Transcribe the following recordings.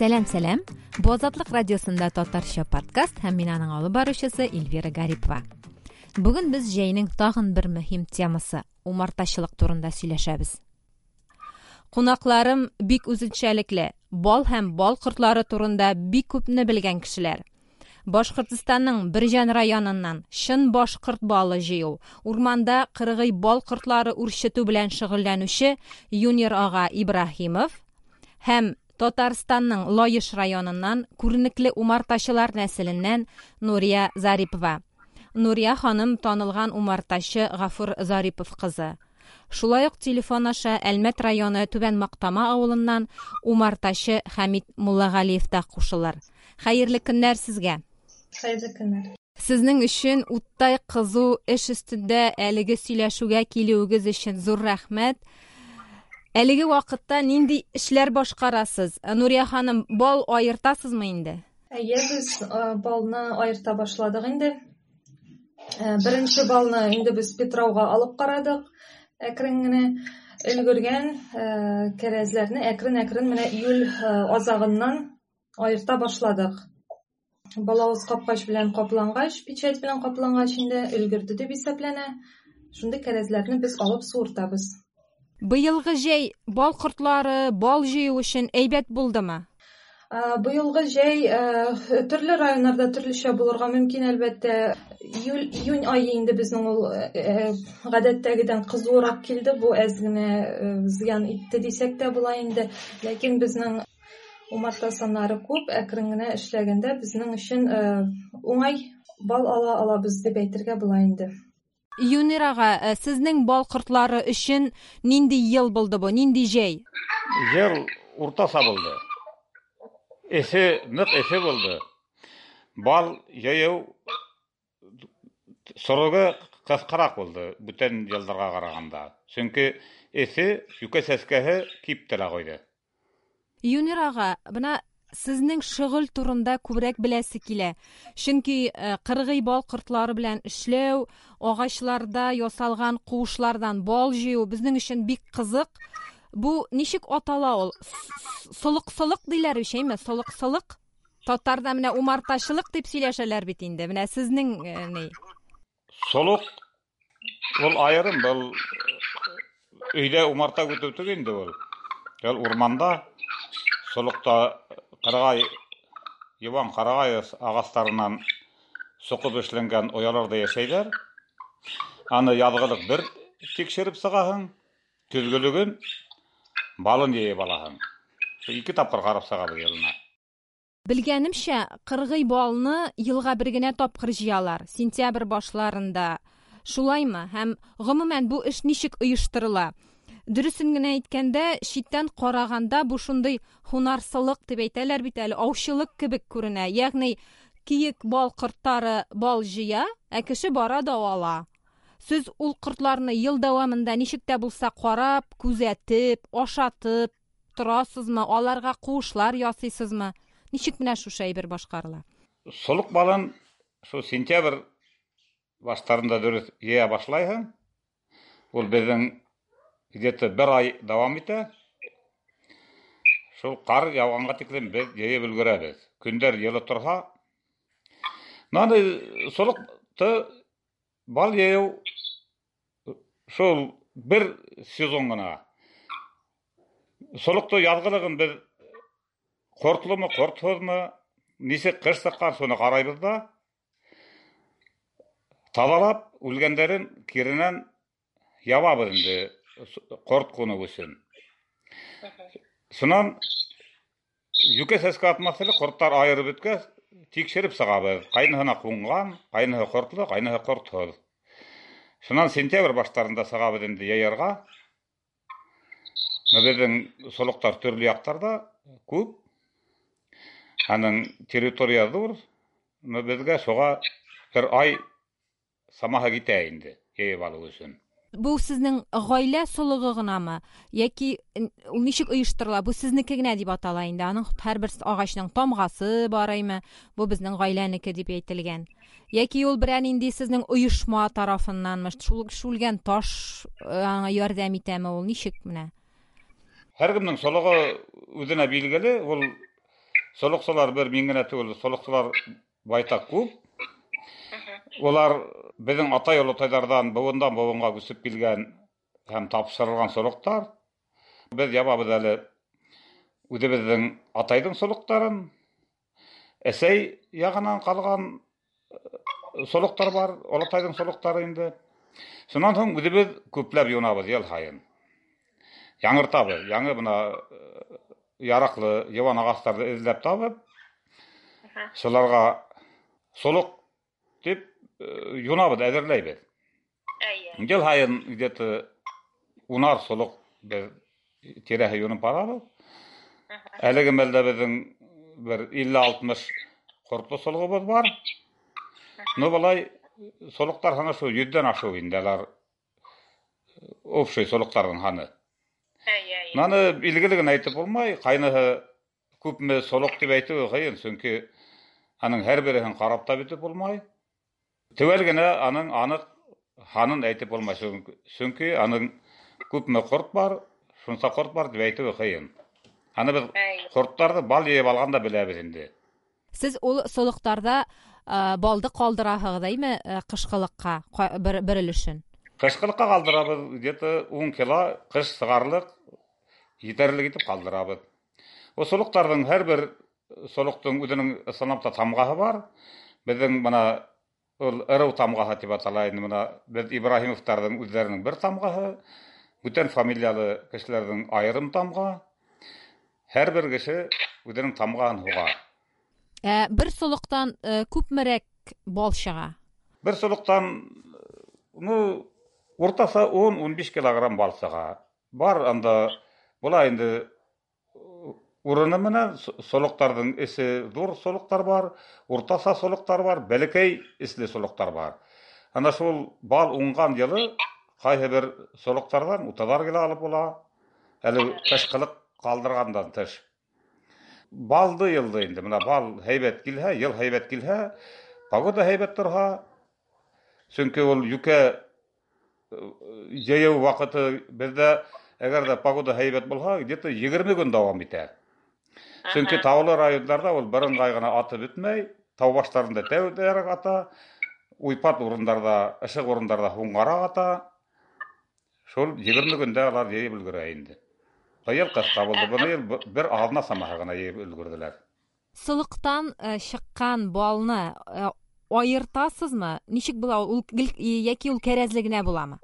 Сәлам, сәлам. Бу Азатлык радиосында татарча подкаст һәм мин аның алып баручысы Эльвира Гарипова. Бүген без җәйнең тагын бер мөһим темасы умартачылык турында сөйләшәбез. Кунакларым бик үзенчәлекле, бал һәм бал кортлары турында бик күпне белгән кешеләр. Башкортстанның Бөрҗән районыннан чын башкорт балы җыю, урманда кыргый бал кортлары үрчетү белән шөгыльләнүче Юнир ага Ибраһимов һәм Татарстанның Лаеш районыннан күренекле умартачылар нәселеннән Нурия Зарипова. Нурия ханым танылган умартачы Гафур Зарипов кызы. Шулай ук телефон аша Әлмәт районы Түбән Мактама авылыннан умартачы Хәмит Муллагалиев та кушылыр. Хәерле көннәр сезгә! Хәерле көннәр! Сезнең өчен уттай кызу эш өстендә әлеге сөйләшүгә килүегез өчен зур рәхмәт. Әлеге вакытта нинди эшләр башкарасыз? Нурия ханым, бал аертасызмы инде? Әйе, без балны аерта башладык инде. Беренче балны инде без Петрауга алып карадык. Әкрен генә өлгергән кәрәзләрне әкрен-әкрен менә июль азагыннан аерта башладык. Балавыз капкач белән каплангач, печать белән каплангач инде өлгерде дип исәпләнә. Шундый кәрәзләрне без алып суыртабыз. Быелгы җәй бал кортлары, бал җыю өчен әйбәт булдымы? Быелгы җәй төрле районнарда төрлечә булырга мөмкин, әлбәттә. Июль, июнь ае инде безнең ул гадәттәгедән кызуырак килде. Бу әз генә зыян итте дисәк тә була инде. Ләкин безнең умарта саннары күп, әкрен генә эшләгәндә безнең өчен уңай бал ала алабыз дип әйтергә була инде. Юнир ага, сезнең бал кортлары өчен нинди ел булды бу, нинди җәй? Ел уртача булды. Эсе, нык эсе булды. Бал җыю срогы кыскарак булды бүтән елларга караганда. Чөнки эсе, юкә сәскәһе киптерә куйды. Юнир ага, менә сезнең шөгыль турында күбрәк беләсе килә. Чөнки кыргый бал кортлары белән эшләү, агачларда ясалган куышлардан бал җыю безнең өчен бик кызык. Бу ничек атала ул? Солыксылык диләр бит, әйме? Солыксылык? Татарда менә умартачылык дип сөйләшәләр бит инде. Менә сезнең ни? Солык ул аерым, был өйдә умарта көтү түгел инде ул. Ул урманда солыкта карагай, юан карагай агачларыннан соқып эшләнгән ояларда яшәйләр. Аны язгылык бер тикшереп чыгаһың, көзгелеген балын җыеп алаһың. Ике тапкыр карап чыгабыз елына. Белгәнемчә, кыргый балны елга бер генә тапкыр җыялар, сентябрь башларында. Шулаймы? Һәм гомумән бу эш ничек оештырыла? Дөресен генә әйткәндә, читтән караганда бу шундый һунарсылык дип әйтәләр бит әле, аучылык кебек күренә. Ягъни киек бал кортлары бал җыя, ә кеше бара да ала. Сез ул кортларны ел дәвамында ничек тә булса карап, күзәтеп, ашатып торасызмы? Аларга куышлар ясыйсызмы? Ничек менә шушы әйбер башкарыла? Солык балын шул сентябрь башларында дөрес җыя башлайһың. Ул безнең где-то бер ай дәвам итә. Шул кар яуганга тиклем без җыеп өлгерәбез. Көндәр җылы торса, Мынандай солыкты бал җыю шул бер сезон гына. Солыкты язгылыгын без кортлымы, кортсызмы, ничек кыш чыккан, шуны карайбыз да. Тазалап, үлгәндәрен киренән ябабыз инде корт куну өчен. Шуннан юкә сәскә атмас әле кортлар аерып беткәч, тикшереп чыгабыз. Кайныһына кунган, кайныһы кортлы, кайныһы кортсыз. Шуннан сентябрь башларында чыгабыз инде яярга. Безнең солыклар төрле якларда күп. Аның территория зур. Безгә шуга бер ай самаһы китә инде җыеп алу өчен. Бу сезнең гаилә солыгы гынамы? Яки ул ничек оештырыла? Бу сезнеке генә дип атала инде. Аның һәрбер агачның тамгасы бар әйме? Бу безнең гаиләнеке дип әйтелгән. Яки ул берәр нинди сезнең оешма тарафыннанмы? Шул шүлгән таш аңа ярдәм итәме ул? Ничек менә? Һәркемнең солыгы үзенә билгеле, ул Солыксылар бер мин генә түгел, солыксылар байтак күп. Улар безнең атай олытайлардан буындан буынга үсеп килгән һәм тапшырылган солыктар. Без ябабыз әле үзебезнең атайдың солыктарын. Әсәй ягынан калган солыктар бар, олытайдың солыктары инде. Шуннан соң үзебез күпләп юнабыз ел һаен. Яңыртабыз, яңы менә яраклы юан агачларны эзләп табып, шуларга солык дип юнабыз, әзерләйбез. Әйе. Ел һаен где-то унар солык без тирәһе юнып барабыз. Әлеге мәлдә безнең бер 50-60 кортлы солыгыбыз бар. Ну, болай солыклар һаны шул 100дән ашу инде алар общий солыкларның һаны. Әйе, әйе. Аны билгеле генә әйтеп булмай, кайныһы күпме солык дип әйтүе кыен, чөнки аның һәрберен карап та бетеп булмай. Төгәл генә аның анык һанын әйтеп булмай, чөнки аның күпме корт бар, шунса корт бар дип әйтүе кыен. Аны без Әйе. кортларны бал җыеп алганда беләбез инде. Сез ул солыктарда балды калдыраһыгыз, әйме, кышкылыкка бер, бер өлешен? Кышкылыкка калдырабыз, где-то 10 кило кыш сыгарлык җитәрлек итеп калдырабыз. Ул солыктарның һәрбер солыктың үзенең ысынлап та тамгаһы бар. Безнең менә ул ырыу тамгаһы дип атала инде менә без Ибраһимовтарның үзләренең бер тамгаһы, бүтән фамилиялы кешеләрнең аерым тамга. Һәрбер кеше үзенең тамгаһын һуга. Ә бер солыктан күпмерәк бал чыга? Бер солыктан, ну, уртаса 10-15 килограмм бал чыга. Бар анда була инде урыны менән солыктарның эсе зур солыктар бар, уртаса солыктар бар, бәләкәй эсле солыктар бар. Ана шул бал уңган елы кайсы бер солыктардан утызар кило алып була. Әле кышкылык калдыргандан тыш. Балды елды инде. Менә бал һәйбәт килһә, ел һәйбәт килһә, погода һәйбәт торһа, чөнки ул юкә җәяү вакыты бездә, әгәр дә погода һәйбәт булһа, где-то 20 көн дәвам итә. Чөнки таулы районнарда ул бер ыңгай гына атып бетмәй, тау башларында тәүдәрәк ата, уйпат урыннарда, ышык урыннарда һуңгарак ата. Шул 20 көндә алар җыеп өлгерә инде. Быел кыска булды, быел бер аҙна самаһы гына җыеп өлгерделәр. Солыктан чыккан балны аертасызмы? Ничек була ул, гел яки ул кәрәзле генә буламы?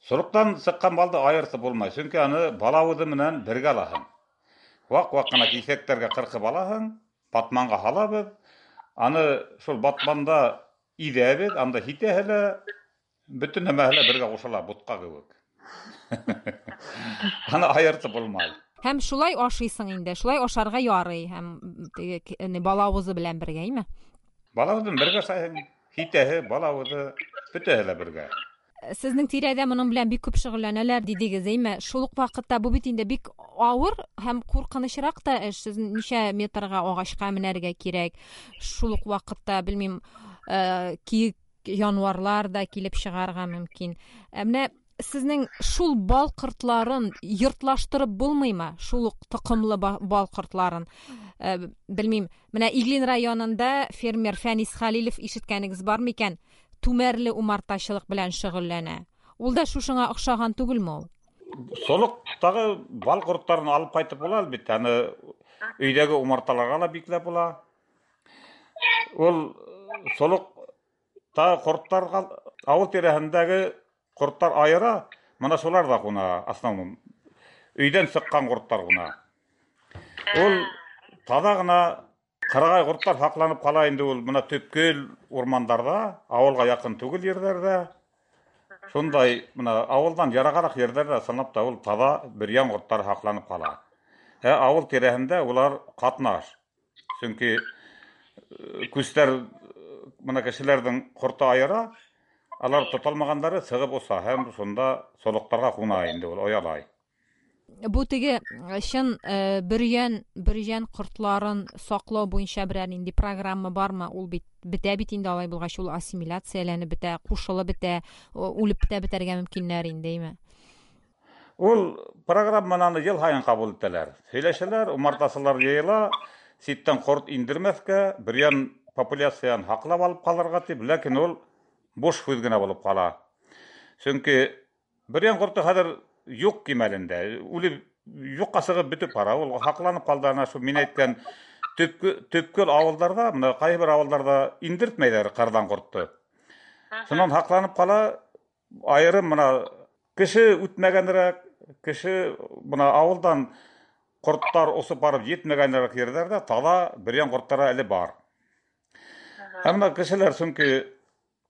Солыктан чыккан балды аертып булмай, чөнки аны балавызы менән бергә алаһың. Вак-вак кына кисәкләргә кыркып алаһың, батманга һалабыз. Аны шул батманда иҙәбеҙ, анда һитәһе лә, бөтөн нәмәһе лә бергә ҡушыла, бутҡа кеүек. Аны аертып булмай. Һәм шулай ашыйсың инде, шулай ашарга ярый һәм теге балавызы белән бергә, әйме? Балавызын бергә ашайһың, һитәһе, балавызы, бөтәһе лә бергә. Сезнең тирәдә моның белән бик күп шөгыльләнәләр дидегез, әйме? Шул ук вакытта бу бит инде бик авыр һәм куркынычрак та эш. Сез ничә метрга агачка менәргә кирәк. Шул ук вакытта, белмим, киек январлар да килеп чыгарга мөмкин. Ә менә сезнең шул бал кортларын йортлаштырып булмыймы? Шул ук токымлы бал кортларын. Белмим, менә Иглин районында фермер Фәнис Хәлилов, ишеткәнегез бар микән? Түмәрле умартачылык белән шөгыльләнә. Ул да шушыңа охшаган түгелме ул? Солыктагы бал кортларын алып кайтып була әлбәттә. Аны өйдәге умарталарга ла бикләп була. Ул солыкта кортларга авыл тирәһендәге кортлар айыра, менә шулар да куна, основном. Өйдән чыккан кортлар куна. Ул таза гына кырагай кортлар сакланып кала инде ул менә төпкел урмандарда, авылга якын түгел ерләрдә. Шундай менә авылдан ерагарак ерләрдә чынлап та ул таза бөрьян кортлары сакланып кала. Ә авыл тирәһендә улар катнаш. Чөнки күсләр менә кешеләрнең корты айыра, алар тоталмагандары чыгып уса һәм шунда солыктарга куна инде ул оялай. Бу теге чын бөрьян кортларын саклау буенча берәр нинди программа бармы? Ул бит бетә бит инде алай булгач, ул ассимиляцияләнеп бетә, кушылып бетә, үлеп тә бетәргә мөмкиннәр инде, әйме? Ул программаны ел һаен кабул итәләр. Сөйләшәләр, умартасылар җыела. Читтән корт индермәскә, бөрьян популяциян һаклап алып калырга дип, ләкин ул буш һүз генә булып кала. Чөнки бөрьян корты хәзер юк кимәлендә, үлеп юкка чыгып бетеп бара. Ул һакланып калды ана шул мин әйткән төпкө төпкел авылларда, менә кайбер авылларда индертмәйләр кырдан кортты. Шуннан һакланып кала, аерым менә кеше үтмәгәнрәк, кеше менә авылдан кортлар осып барып җитмәгәнрәк җирләрдә тала бөрьян кортлары әле бар. Һәм менә кешеләр чөнки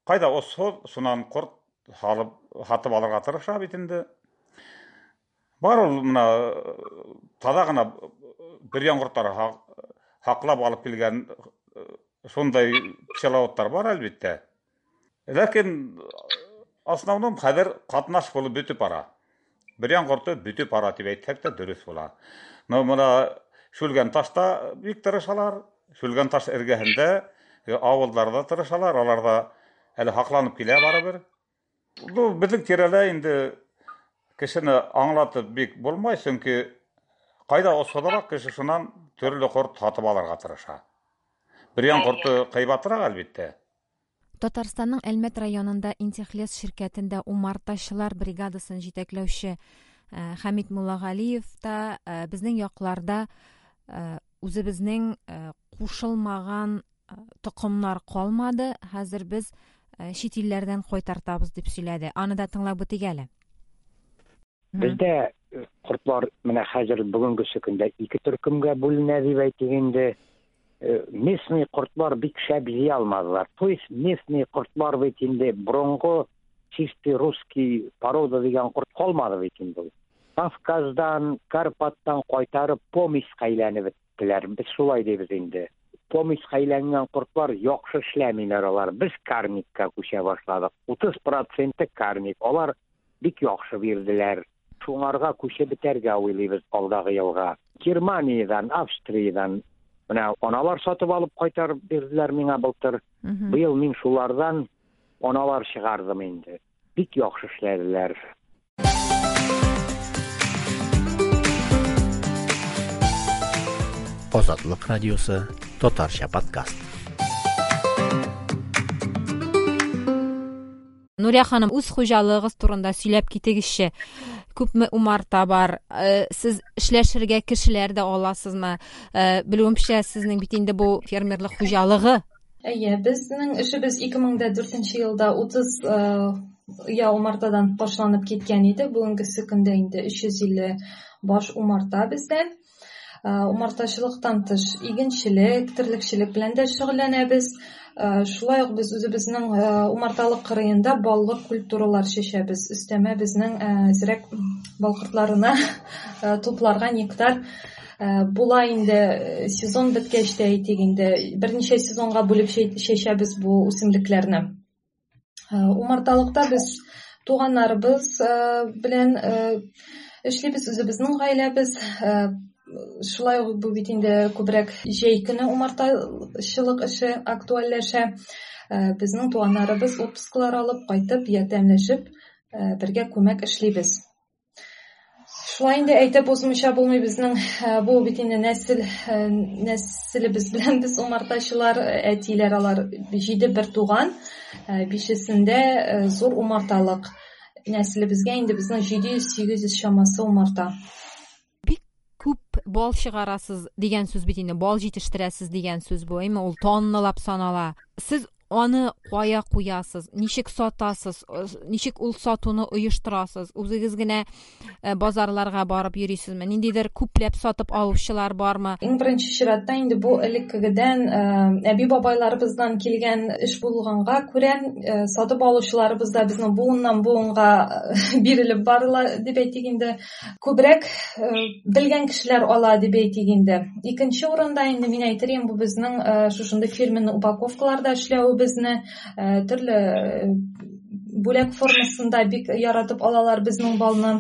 кайда осһоз, шуннан корт салып сатып алырга тырыша бит инде. Бар ул менә таза гына бөрьян кортлары һаклап алып килгән шундай пчеловодлар бар әлбәттә. Ләкин основном хәзер катнаш булып бетеп бара. Бөрьян корты бетеп бара дип әйтсәк тә дөрес була. Но менә Шүлгән ташта бик тырышалар. Шүлгән таш эргәһендә авылларда тырышалар, алар да әле һакланып килә барыбер. Бу безнең тирәдә инде кешене аңлатып бик булмай, чөнки кайда осыдырак кеше шуннан төрле корт сатып алырга тырыша. Бөрьян корты кыйбатрак әлбәттә. Татарстанның Әлмәт районында Интехлес ширкәтендә умартачылар бригадасын җитәкләүче Хәмит Муллагалиев та безнең якларда үзебезнең кушылмаган токымнар калмады, хәзер без чит илләрдән кайтартабыз дип сөйләде. Аны да тыңлап үтик әле. Бездә кортлар менә хәзер бүгенгесе көндә ике төркемгә бүленә дип әйтик инде. Местный кортлар бик шәп җыя алмадылар. То есть местный кортлар бит инде борынгы чистый русский порода дигән корт калмады бит инде ул. Кавказдан, Карпаттан кайтарып помеська әйләнеп беттеләр. Без шулай дибез инде. Помеська әйләнгән кортлар яхшы эшләмиләр алар. Без карникка күчә башладык. 30 проценты карник. Алар бик яхшы бирделәр. Шуңарга күчеп бетәргә уйлыйбыз алдагы елга. Германиядән, Австриядән менә аналар сатып алып кайтарып бирделәр миңа былтыр. Быел мин шулардан аналар чыгардым инде. Бик яхшы эшләделәр. Азатлык радиосы татарча подкаст. Нурия ханым, үз хуҗалыгыгыз турында сөйләп китегезче. Күпме умарта бар? Сез эшләшергә кешеләр дә аласызмы? Белүемчә, сезнең бит инде бу фермерлык хуҗалыгы. Әйе, безнең эшебез 2004 елда 30 оя умартадан башланып киткән иде. Бүгенгесе көндә инде 350 баш умарта бездә. Умартачылыктан тыш игенчелек, терлекчелек белән дә шөгыльләнәбез. Шулай ук без үзебезнең умарталык кырыенда баллы культуралар чәчәбез. Өстәмә безнең әзрәк бал кортларына тупларга нектар була инде сезон беткәч тә әйтик инде берничә сезонга бүлеп чәчәбез бу үсемлекләрне. Умарталыкта без туганнарыбыз белән эшлибез, үзебезнең гаиләбез. Шулай ук бу бит инде күбрәк җәй көне умартачылык эше актуальләшә. Безнең туганнарыбыз отпусклар алып кайтып, ярдәмләшеп, бергә күмәк эшлибез. Шулай инде әйтеп узмыйча булмый безнең бу бит инде нәсел нәселебез белән без умартачылар, әтиләр алар 7 бер туган, бишесендә зур умарталык. Нәселебезгә инде безнең 700-800 чамасы умарта. Бик күп бал чыгарасыз дигән сүз бит инде, бал җитештерәсез дигән сүз бу, әйме ул тонналап санала. Сез аны кая куясыз, ничек сатасыз, ничек ул сатуны оештырасыз? Үзегез генә базарларга барып йөрисезме? Ниндидер күпләп сатып алучылар бармы? Иң беренче чиратта инде бу элеккегедән әби-бабайларыбыздан килгән эш булганга күрә, сатып алучыларыбыз да безнең буыннан буынга бирелеп барыла дип әйтик инде. Күбрәк белгән кешеләр ала дип әйтик инде. Икенче урында инде мин әйтер идем, бу безнең шушындый фирменный упаковкаларда эшләвебезне, төрле бүләк формасында бик яратып алалар безнең балны.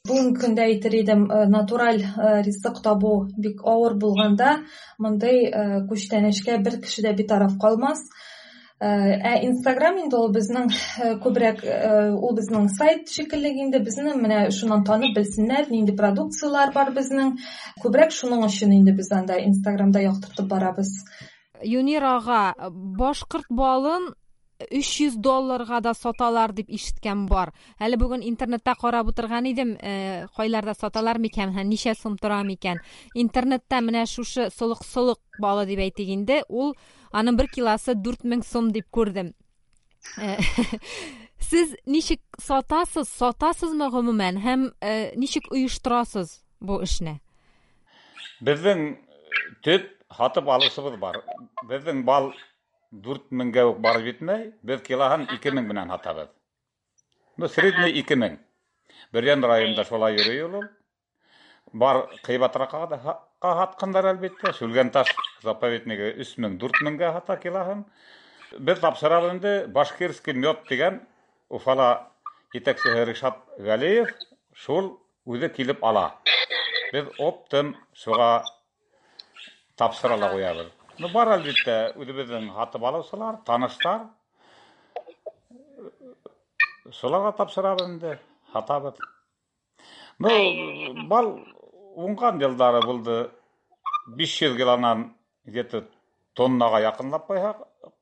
Бүгенге көндә әйтер идем, натураль ризык табу бик авыр булганда, мондый күчтәнәчкә бер кеше дә битараф калмас. Ә Инстаграм инде ул безнең күбрәк ул безнең сайт шикелле инде, безне менә шуннан танып белсеннәр, нинди продукцияләр бар безнең. Күбрәк шуның өчен инде без анда Инстаграмда яктыртып барабыз. Юнир ага, башкорт балын 300 долларга да саталар дип ишеткән бар. Әле бүген интернетта карап утырган идем, кайларда саталар микән һәм ничә сум тора микән. Интернетта менә шушы солык-солык балы дип әйтик инде, ул аның бер килосы 4000 сум дип күрдем. Сез ничек сатасыз, сатасызмы гомумән һәм ничек оештырасыз бу эшне? Безнең төп һатып алучыбыз бар. Безнең бал 4000гә үк барып җитмәй, без килоһын 2000 белән һатабыз. Ну, средний 2000. Бөрйән районында шулай йөри ул. Бар кыйбатракка да һатканнар әлбәттә. Шүлгәнташ заповеднигы 3000, 4000гә һата килоһын. Без тапшырабыз инде Башкирский мед дигән Уфала җитәкчесе Ришат Галиев шул үзе килеп ала. Без оптом шуга тапшыра ла куябыз. Ну, бар әлбәттә үзебезнең һатып алучылар, танышлар. Шуларга тапшырабыз инде, һатабыз. Ну, бал уңган еллары булды. 500 килонан где-то тоннага якынлап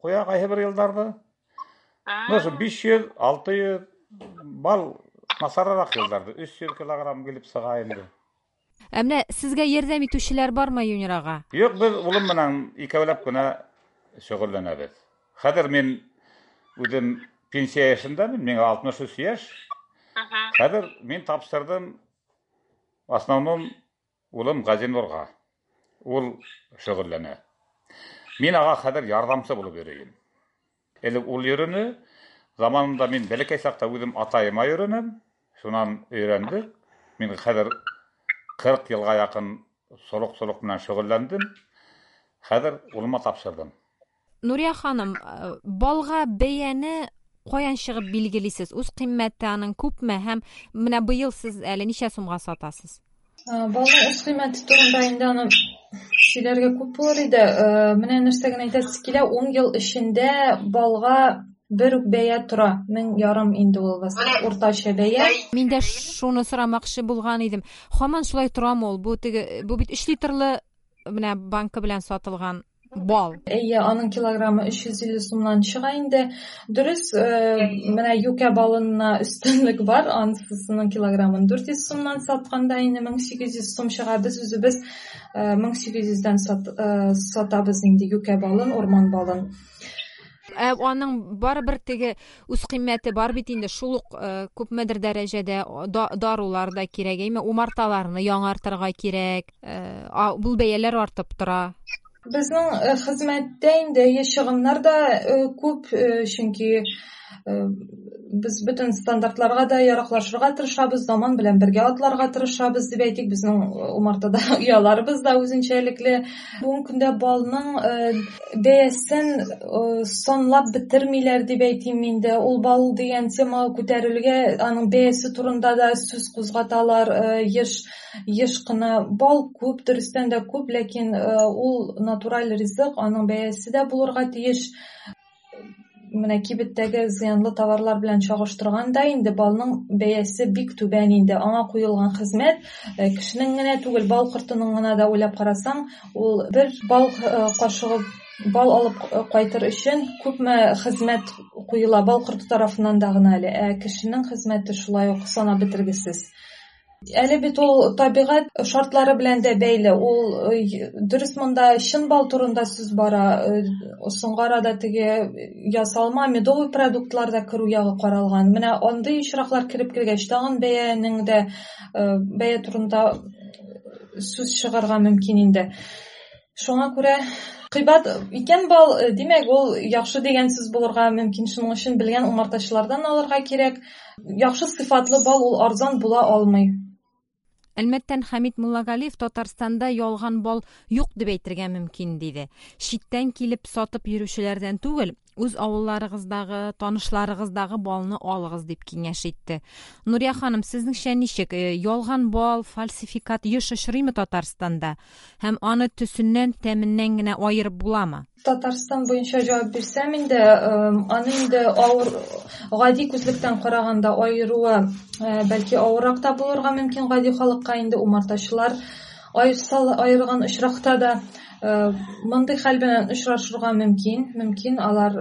куя кайсы бер елларда. Ну, шул 500, 600 бал насаррак елларда 300 килограмм килеп чыга инде. Ә менә сезгә ярдәм итүчеләр бармы, Юнир ага? Юк, без улым белән икәүләп кенә шөгыльләнәбез. Хәзер мин үзем пенсия яшендә, миңа 63 яшь. Хәзер мин тапшырдым в основном улым Газинурга. Ул шөгыльләнә. Мин ага хәзер ярдәмче булып йөрим. Элек ул йөрүне, заманында мин бәләкәй чакта үзем атаема йөренем, шуннан өйрәндек. Мин хәзер 40 елга якын солык-солык белән шөгыльләндем. Хәзер улыма тапшырдым. Нурия ханым, балга бәяне каян чыгып билгелисез? Үз кыйммәте аның күпме һәм менә быел сез әле ничә сумга сатасыз? Балның үз кыйммәте турында инде аны сөйләргә күп булыр иде. Менә нәрсә генә әйтәсе килә, 10 ел эчендә балга бер үк бәя тора. Мең ярым инде ул уртача бәя. Мин дә шуны сорамакчы булган идем. Һаман шулай торамы ул? Бу теге, бу бит 3 литрлы менә банка белән сатылган бал. Әйе, аның килограммы 350 сумнан чыга инде. Дөрес, менә юкә балына өстенлек бар, анысының килограммын 400 сумнан сатканда инде 1800 сум чыга. Без үзебез 1800-дән сатабыз инде юкә балын, урман балын. Аның барыбер теге үз кыйммәте бар бит инде, шул ук күпмедер дәрәҗәдә дарулар да кирәк, әйме, умарталарны яңартырга кирәк. Бу бәяләр артып тора. Безнең хезмәттә инде чыгымнар да күп, чөнки без бөтен стандартларга да яраклашырга тырышабыз, заман белән бергә атларга тырышабыз дип әйтик. Безнең умартада ояларыбыз да үзенчәлекле. Бүгенге көндә балның бәясен санлап бетермиләр дип әйтим инде. Ул бал дигән тема күтәрелүгә аның бәясе турында да сүз кузгаталар, еш кына. Бал күп, дөрестән дә күп, ләкин ул натураль ризык, аның бәясе дә булырга тиеш. Менә кибеттәге зыянлы товарлар белән чагыштырганда инде балның бәясе бик түбән инде. Аңа куелган хезмәт кешенең генә түгел, бал кортының гына да уйлап карасаң, ул бер бал кашыгы бал алып кайтыр өчен күпме хезмәт куела бал корты тарафыннан да гына әле. Ә кешенең хезмәте шулай ук санап бетергесез. Әле бит ул табигать шартлары белән дә бәйле. Ул дөрес монда чын бал турында сүз бара. Соңгы арада теге ясалма медовый продуктлар да керү ягы каралган. Менә андый очраклар кереп килгәч, тагын бәянең дә бәя турында сүз чыгарга мөмкин инде. Шуңа күрә кыйбат икән бал, димәк, ул яхшы дигән сүз булырга мөмкин. Шуның өчен белгән умартачылардан алырга кирәк. Яхшы сыйфатлы бал ул арзан була алмый. Әлмәттән Хәмит Муллагалиев Татарстанда ялган бал юк дип әйтергә мөмкин диде. Читтән килеп сатып йөрүчеләрдән түгел, үз авылларыгыздагы, танышларыгыздагы балны алыгыз дип киңәш итте. Нурия ханым, сезнеңчә ничек? Ялган бал, фальсификат еш очрыймы Татарстанда? Һәм аны төсеннән, тәменнән генә аерып буламы? Татарстан буенча җавап бирсәм инде, аны инде авыр, гади күзлектән караганда аеруы бәлки авыррак та булырга мөмкин гади халыкка инде умартачылар аерса, аерган очракта да мондый хәл белән очрашырга мөмкин. Мөмкин алар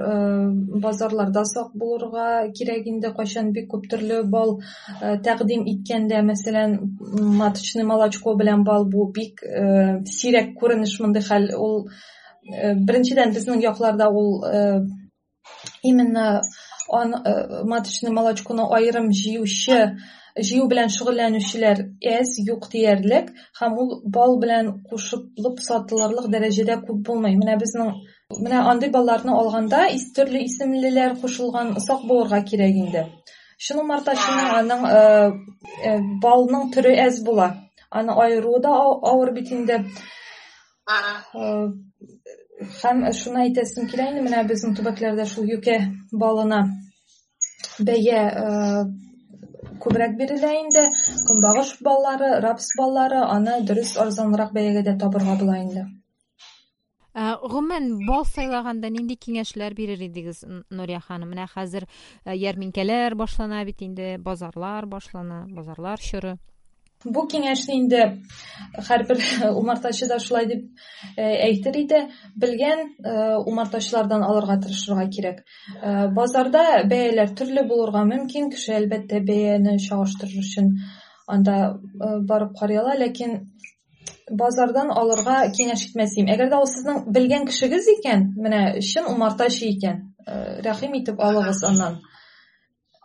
базарларда сак булырга кирәк инде, кайчан бик күп төрле бал тәкъдим иткәндә, мәсәлән, маточный молочко белән бал, бу бик сирәк күренеш мондый хәл. Ул беренчедән безнең якларда ул именно маточный молочконы аерым җыючы, җыю белән шөгыльләнүчеләр әз, юк диярлек, һәм ул бал белән кушылып сатылырлык дәрәҗәдә күп булмый. Менә безнең менә андый балларны алганда төрле исемлеләр кушылган, сак булырга кирәк инде. Чын умартачының аның балның төре әз була. Аны аеруы да авыр бит инде. Һәм шуны әйтәсем килә инде, менә безнең төбәкләрдә шул юкә балына бәя күбрәк бирелә инде. Көнбагыш баллары, рапс баллары, аны дөрес арзанрак бәягә дә табырга була инде. Гомумән, бал сайлаганда нинди киңәшләр бирер идегез, Нурия ханым? Менә хәзер ярминкәләр башлана бит инде, базарлар башлана, базарлар чоры. Бу киңәшне инде һәрбер умартачы да шулай дип әйтер иде. Белгән умартачылардан алырга тырышырга кирәк. Базарда бәяләр төрле булырга мөмкин. Кеше, әлбәттә, бәяне чагыштырыр өчен анда барып карый ала, ләкин базардан алырга киңәш итмәс идем. Әгәр дә ул сезнең белгән кешегез икән, менә чын умартачы икән, рәхим итеп алыгыз аннан.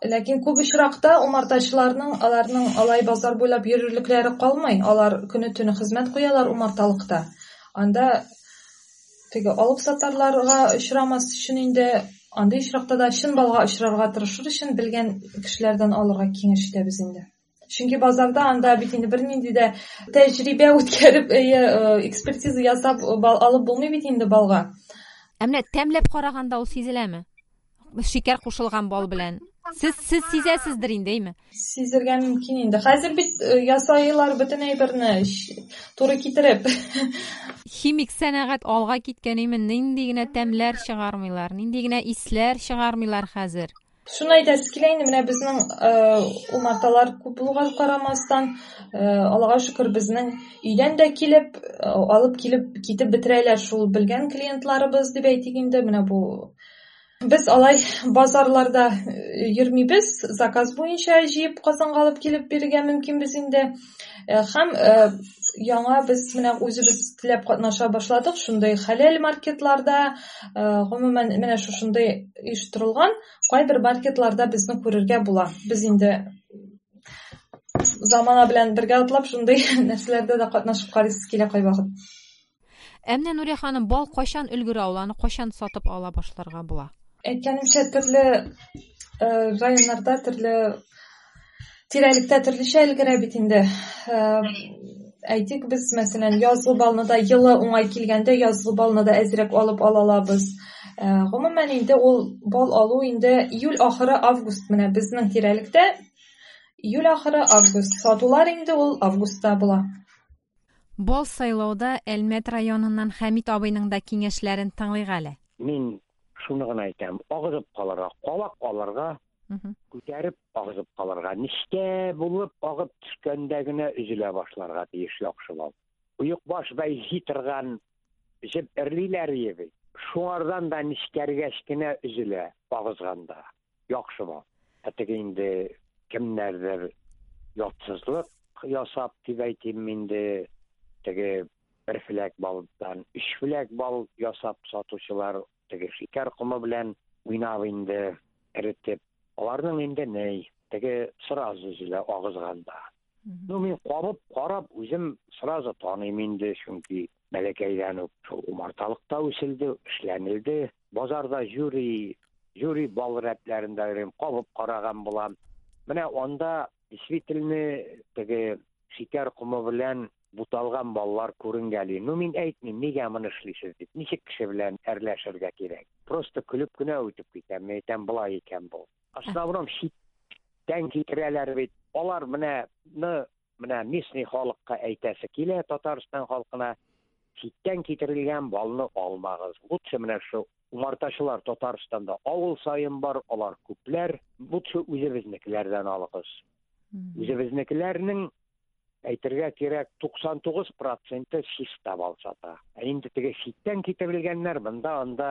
Ләкин күп очракта умартачыларның аларның алай базар буйлап йөрерлекләре калмый. Алар көне-төне хезмәт куялар умарталыкта. Анда теге алып сатарларга очрамас өчен инде андый очракта да чын балга очрарга тырышыр өчен белгән кешеләрдән алырга киңәш итәбез инде. Чөнки базарда анда бит инде бернинди дә тәҗрибә үткәреп, экспертиза ясап бал алып булмый бит инде балга. Ә менә тәмләп караганда ул сизеләме? Шикәр кушылган бал белән. Сез сизәсездер инде, әйме? Сизергә мөмкин инде. Хәзер бит ясайлар бөтен әйберне туры китереп. Химик сәнәгать алга киткән, әйме? Нинди генә тәмләр чыгармыйлар, нинди генә исләр чыгармыйлар хәзер. Шуны әйтәсе килә инде, менә безнең умарталар күп булуга карамастан, Аллага шөкер, безнең өйдән дә килеп, алып килеп китеп бетерәләр шул белгән клиентларыбыз дип әйтик инде. Менә бу без алай базарларда йөрмибез, заказ буенча җыеп Казанга алып килеп бирергә мөмкинбез инде. Һәм яңа без менә үзебез теләп катнаша башладык шундый хәләл маркетларда, гомумән менә шушындый оештырылган кайбер маркетларда безне күрергә була. Без инде замана белән бергә атлап шундый нәрсәләрдә дә катнашып карыйсыз килә кайвакыт. Ә менә Нурия ханым, бал кайчан өлгерә ул, аны кайчан сатып ала башларга була? Әйткәнемчә, төрле районнарда, төрле тирәлектә төрлечә өлгерә бит инде. Әйтик, без, мәсәлән, язгы балны да елы уңай килгәндә язгы балны да әзрәк алып ала алабыз. Гомумән инде ул бал алу инде июль ахыры, август, менә безнең тирәлектә июль ахыры, август. Сатулар инде ул августта була. Бал сайлауда Әлмәт районыннан Хәмит абыйның да киңәшләрен тыңлыйк әле. Мин шуны гына әйтәм, агызып калырга, кабак алырга, күтәреп агызып калырга, нечкә булып агып төшкәндә генә өзелә башларга тиеш яхшы бал. Оекбаш бәйли торган җеп эрлиләр бит. Шуңардан да нечкәргәч кенә өзелә агызганда яхшы бал. Ә теге инде кемнәрдер ятсызлык ясап дип әйтим инде, теге бер фләк балдан өч фләк бал ясап сатучылар, теге шикәр комы белән уйнап инде эретеп, аларның инде ней, теге сразу өзелә агызганда. Ну, мин кабып карап үзем сразу таныйм инде, чөнки бәләкәйдән үк шул умарталыкта үселде, эшләнелде. Базарда жюри, жюри бал рәтләрендә йөрим, кабып караган булам. Менә анда действительно теге шикәр комы белән буталган баллар күренгәли. Ну, мин әйтмим, нигә моны эшлисез дип, ничек кеше белән әрләшергә кирәк. Просто көлеп кенә үтеп китәм, мин әйтәм, болай икән бу. Основном читтән китерәләр бит. Алар менә, менә местный халыкка әйтәсе килә, Татарстан халкына. Читтән китерелгән балны алмагыз. Лучше менә шу умартачылар Татарстанда авыл саен бар, алар күпләр. Лучше үзебезнекеләрдән алыгыз. Үзебезнекеләрнең әйтергә кирәк 99 проценты чиста бал сата. Ә инде теге читтән китерелгәннәр монда анда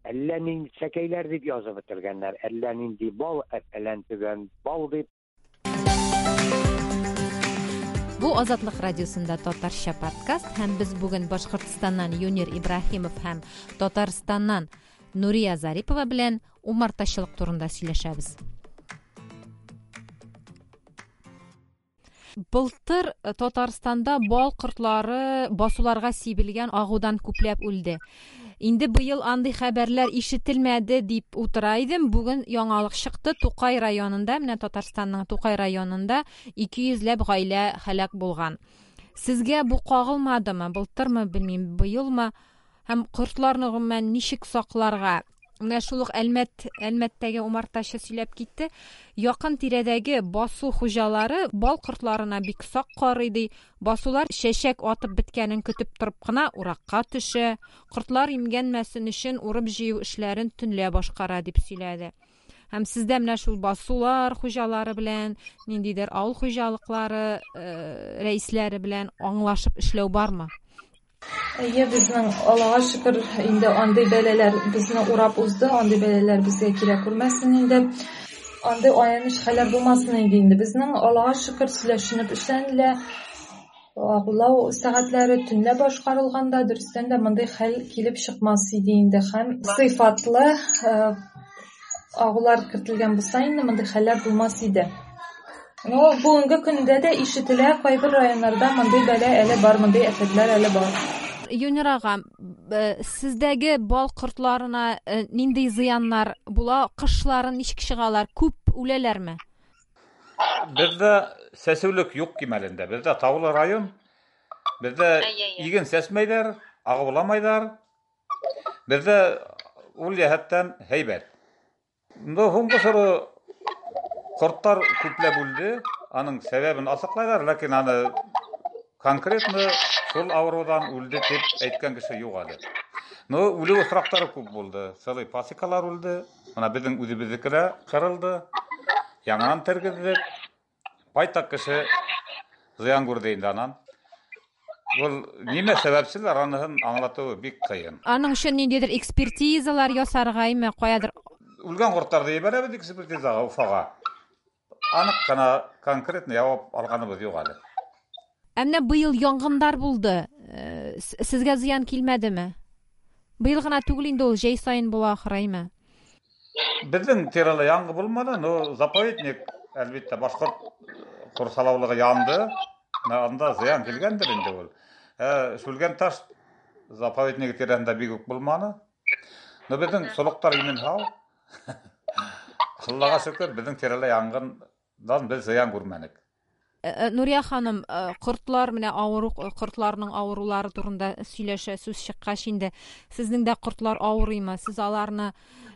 әллә нинди сәкәйләр дип язып бетергәннәр, әллә нинди бал, фәлән төгән бал дип. Бу Азатлык радиосында татарча подкаст һәм без бүген Башкортстаннан Юнир Ибраһимов һәм Татарстаннан Нурия Зарипова белән умартачылык турында сөйләшәбез. Былтыр э, Татарстанда бал кортлары басуларга сибелгән агудан күпләп үлде. Инде быел андый хәбәрләр ишетелмәде дип утыра идем. Бүген яңалык чыкты. Тукай районында, менә Татарстанның Тукай районында 200 ләп гаилә һәлак булган. Сезгә бу кагылмадымы? Былтырмы, белмим, быелмы? Һәм кортларны гомумән ничек сакларга? Менә шул ук Әлмәт, Әлмәттәге умартачы сөйләп китте. Якын тирәдәге басу хуҗалары бал кортларына бик сак карый ди. Басулар чәчәк атып беткәнен көтеп торып кына уракка төшә. Кортлар имгәнмәсен өчен урып-җыю эшләрен төнлә башкара дип сөйләде. Һәм сездә менә шул басулар хуҗалары белән, ниндидер авыл хуҗалыклары э, рәисләре белән аңлашып эшләү бармы? Әйе, безнең Аллага шөкер, инде андый бәлаләр безне урап узды, андый бәлаләр безгә килә күрмәсен инде. Андый аяныч хәлләр булмасын иде инде. Безнең Аллага шөкер сөйләшенеп эшләнелә. Агулау сәгатьләре төнлә башкарылганда, дөрестән дә мондый хәл килеп чыкмас иде инде. Һәм сыйфатлы э, агулар кертелгән булса инде мондый хәлләр булмас иде. Но бүгенге көндә дә ишетелә, кайбер районнарда мондый бәла әле бар, мондый афәтләр әле бар. Юнир ага, э, сездәге бал кортларына э, нинди зыяннар була? Кышларын ничек чыгалар? Күп үләләрме? Бездә сәсүлек юк кимәлендә. Бездә таулы район. Бездә иген сәсмәйләр, агуламайлар. Бездә ул җәһәттән һәйбәт. Ну, һуңгы соры кортлар күпләп үлде. Аның сәбәбен асыклайлар, ләкин аны конкретно шул авырудан үлде дип әйткән кеше юк әле. Ну, үлү очраклары күп булды. Целый пасекалар үлде. Менә безнең үзебезнеке дә кырылды. Яңадан тергездек. Байтак кеше зыян күрде инде анан. Ул нимә сәбәпчеләр, анысын аңлатуы бик кыен. Аның өчен ниндидер экспертизалар ясарга име, каядыр? Үлгән кортларны җибәрәбез экспертизага Уфага. Анык кына конкретно җавап алганыбыз юк әле. Ә менә быел янгыннар булды. Э, сезгә зыян килмәдеме? Быел гына түгел инде ул, җәй саен була ахры, әйме? Безнең тирәлә янгын булмады, но заповедник, әлбәттә, башкорт курсалаулыгы янды. Анда зыян килгәндер инде ул. Ә Шүлгән таш заповеднигы тирәсендә бик үк булмады. Но безнең солыктар имин һау. Аллага шөкер, безнең тирәлә янгындан без зыян күрмәдек. Э, э, Нурия ханым, э, кортлар менә авыру кортларның авырулары турында сөйләшә сүз чыккач инде сезнең дә кортлар авырыймы? Сез аларны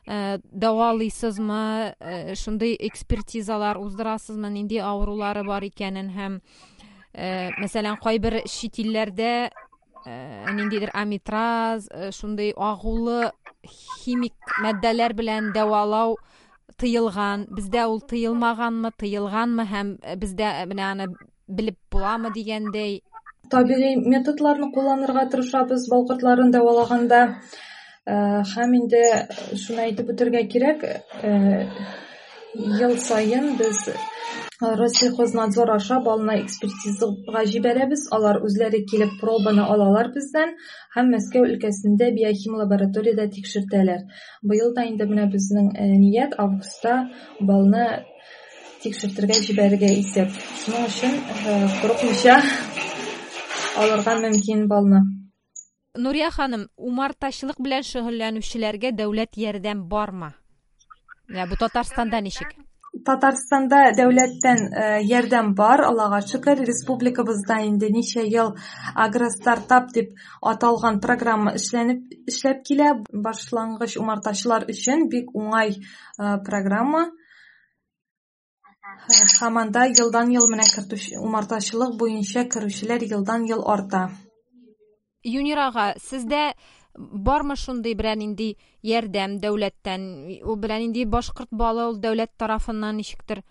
дәвалыйсызмы? Шундый экспертизалар уздырасызмы? Нинди авырулары бар икәнен һәм мәсәлән, кайбер чит илләрдә ниндидер амитраз, шундый агулы химик матдәләр белән дәвалау тыелган. Бездә ул тыелмаганмы, тыелганмы һәм э, бездә э, менә аны белеп буламы дигәндәй. Табигый методларны кулланырга тырышабыз бал кортларын дәвалаганда. Э, һәм инде шуны әйтеп үтәргә кирәк, ел саен без Россельхознадзор аша балны экспертизага җибәрәбез. Алар үзләре килеп пробаны алалар бездән һәм Мәскәү өлкәсендә биохим лабораториядә тикшертәләр. Быел да инде менә безнең э, ният августта балны тикшертергә җибәрергә исәп. Шуның өчен э, курыкмыйча алырга мөмкин балны. Нурия ханым, умартачылык белән шөгыльләнүчеләргә дәүләт ярдәм бармы? Менә бу Татарстанда ничек? Татарстанда дәүләттән э, ярдәм бар, Аллага шөкер. Республикабызда инде ничә ел агростартап дип аталган программа эшләнеп эшләп килә. Башлангыч умартачылар өчен бик уңай э, программа. Э, һәм анда елдан-ел менә кертүче умартачылык буенча керүчеләр елдан-ел арта. Юнир ага, сездә бармы шундый берәр нинди ярдәм дәүләттән? Ул берәр нинди башкорт балы ул дәүләт тарафыннан ничектер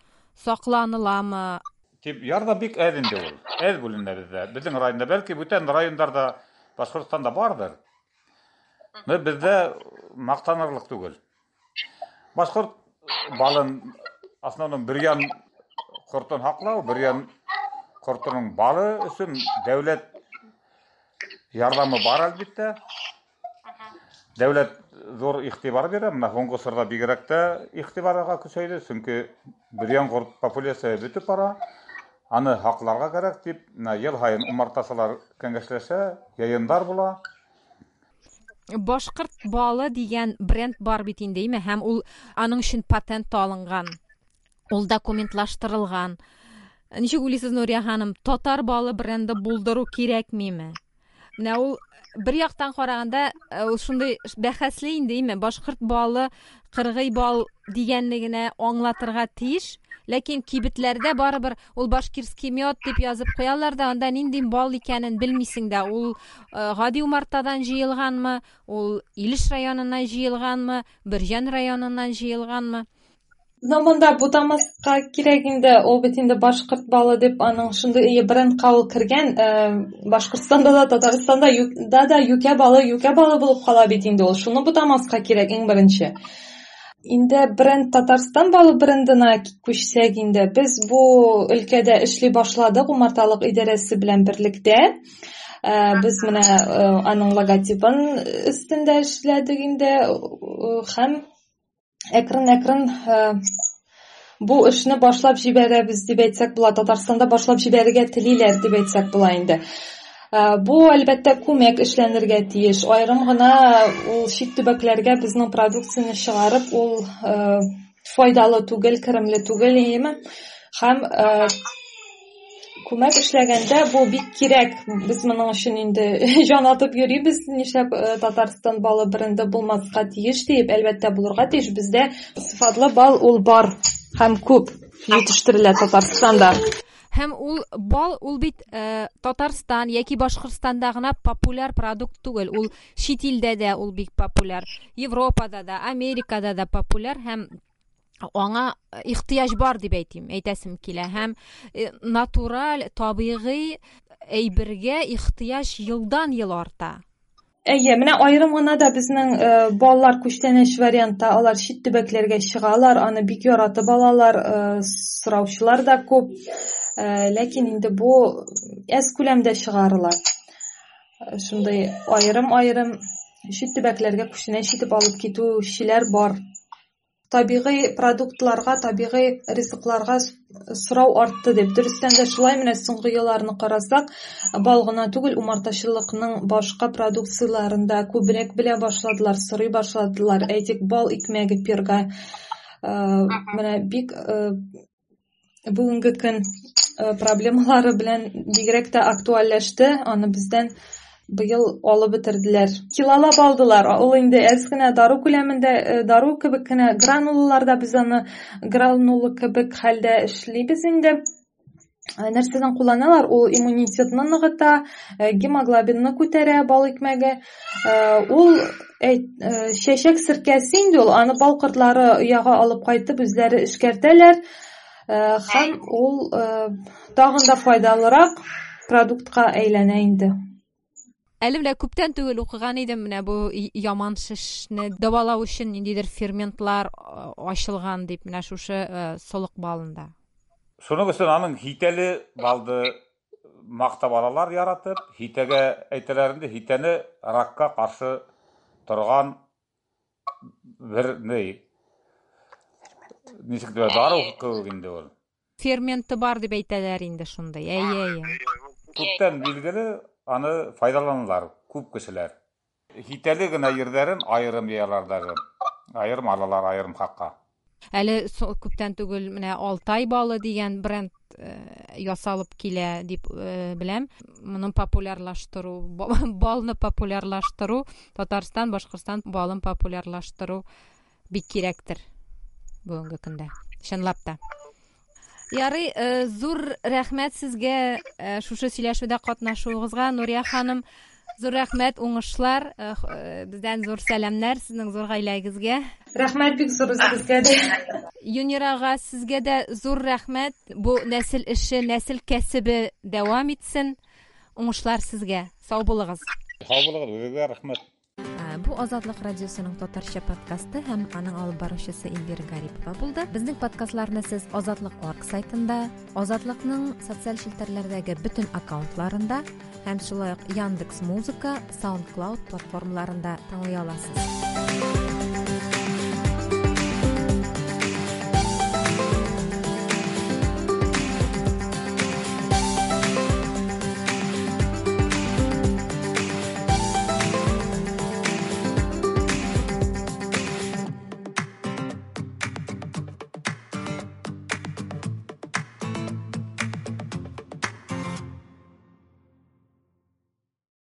сакланыламы? Дип, ярдәм бик әз инде ул. Әз бүленә бездә. Безнең районда, бәлки бүтән районнарда, Башкортстанда бардыр. Но бездә мактанырлык түгел. Башкорт балын основном бөрьян кортын һаклау, бөрьян кортының балы өчен дәүләт ярдәме бар әлбәттә. Дәүләт зур игътибар бирә. Менә һуңгы чорда бигрәк тә игътибарга көчәйде, чөнки бөрьян корт популяция бетеп бара. Аны һакларга кирәк дип, менә ел һаен умартачылар кәңәшләшә, йыйыннар була. Башкорт балы дигән бренд бар бит инде, әйме? Һәм ул аның өчен патент алынган. Ул документлаштырылган. Ничек уйлыйсыз, Нурия ханым, татар балы бренды булдыру кирәкмиме? Менә ул бер яктан караганда, э, ул шундый бәхәсле инде, әйме? Башкорт балы кыргый бал дигәнне генә аңлатырга тиеш. Ләкин кибетләрдә барыбер ул башкирский мед дип язып куялар да, анда нинди бал икәнен белмисең дә. Ул э, гади умартадан җыелганмы, ул Илеш районыннан җыелганмы, Бөрҗән районыннан җыелганмы? Но монда бутамаска кирәк инде, ул бит инде башкорт балы дип аның шундый ие брендка ул кергән. Э, Башкортстанда да, Татарстанда да да юкә балы юкә балы булып кала бит инде ул. Шуны бутамаска кирәк иң беренче. Инде бренд Татарстан балы брендына күчсәк инде, без бу өлкәдә эшли башладык умарталык идарәсе белән берлектә. Э, без менә э, аның логотипын өстендә эшләдек инде һәм әкрен-әкрен э, бу эшне башлап җибәрәбез дип әйтсәк була. Татарстанда башлап җибәрергә телиләр дип әйтсәк була инде. Э, бу әлбәттә күмәк эшләнергә тиеш. Аерым гына ул чит төбәкләргә безнең продукцияне чыгарып, ул э, файдалы түгел, керемле түгел, әйеме? Һәм Күмәк эшләгәндә бу бик кирәк. Без моның өчен инде җан атып йөрибез. Нишләп э, Татарстан балы бренды булмаска тиеш диеп, әлбәттә булырга тиеш. Бездә сыйфатлы бал ул бар һәм күп җитештерелә Татарстанда. Һәм ул бал ул бит э, Татарстан яки Башкортстанда гына популяр продукт түгел. Ул чит илдә дә ул бик популяр. Европада да, Америкада да популяр һәм аңа ихтыяҗ бар дип әйтим, әйтәсем килә. Һәм э, натураль, табигый әйбергә ихтыяҗ елдан-ел арта. Әйе, менә аерым гына да безнең э, балалар күчтәнәч вариантта алар чит төбәкләргә чыгалар, аны бик яратып алалар, э, сораучылар да күп. Э, ләкин инде бу әз күләмдә чыгарыла. Э, шундый аерым-аерым чит төбәкләргә күчтәнәч итеп алып китүчеләр бар. Табигый продуктларга, табигый ризыкларга сорау артты дип. Дөрестән дә шулай, менә соңгы елларны карасак, бал гына түгел, умартачылыкның башка продукцияләрен дә күбрәк белә башладылар, сорый башладылар. Әйтик, бал икмәге, перга. Э, менә бик э, бүгенге көн э, проблемалары белән бигрәк тә актуальләште. Аны бездән быел алып бетерделәр. Килолап алдылар. Ул инде әз генә дару күләмендә, э, дару кебек кенә гранулаларда без аны гранула кебек хәлдә эшлибез инде. Э, нәрсәдән кулланалар? Ул иммунитетны ныгыта, гемоглобинны күтәрә бал икмәге. Ул чәчәк серкәсе инде ул, аны бал кортлары ояга алып кайтып үзләре эшкәртәләр. Һәм ул тагын да файдалырак продуктка әйләнә инде. Әле менә күптән түгел укыган идем, менә бу яман шешне дәвалау өчен ниндидер ферментлар ачылган дип, менә шушы солык балында. Шуның өчен аның хитәле балды мактап алалар яратып, хитәгә әйтәләр инде, хитәне ракка каршы торган бер ни, ничек дип, дару кебек инде ул. Ферменты бар дип әйтәләр инде шундый. Әйе, әйе. Күптән билгеле, аны файдаланалар күп кешеләр. Хитәле генә йирләрен аерым йыялар даже. Аерым алалар, аерым хакка. Әле күптән түгел менә Алтай балы дигән бренд э, ясалып килә дип э, беләм. Моны популярлаштыру, балны популярлаштыру, Татарстан, Башкортстан балын популярлаштыру бик кирәктер бүгенге көндә. Чынлап та. Ярый, э, зур рәхмәт сезгә э, шушы сөйләшүдә катнашуыгызга, Нурия ханым. Зур рәхмәт, уңышлар, э, э, бездән зур сәламнәр сезнең зур гаиләгезгә. Рәхмәт бик зур үзегезгә дә. Юнир ага, сезгә дә зур рәхмәт. Бу нәсел эше, нәсел кәсебе дәвам итсен. Уңышлар сезгә. Сау булыгыз. Сау булыгыз, үзегезгә рәхмәт. Бу Азатлык радиосының татарча подкасты һәм аның алып баручысы Эльвира Гарипова булды. Безнең подкастларны сез Азатлык орг сайтында, Азатлыкның социаль челтәрләрдәге бөтен аккаунтларында һәм шулай ук Яндекс Музыка, SoundCloud платформаларында тыңлый аласыз.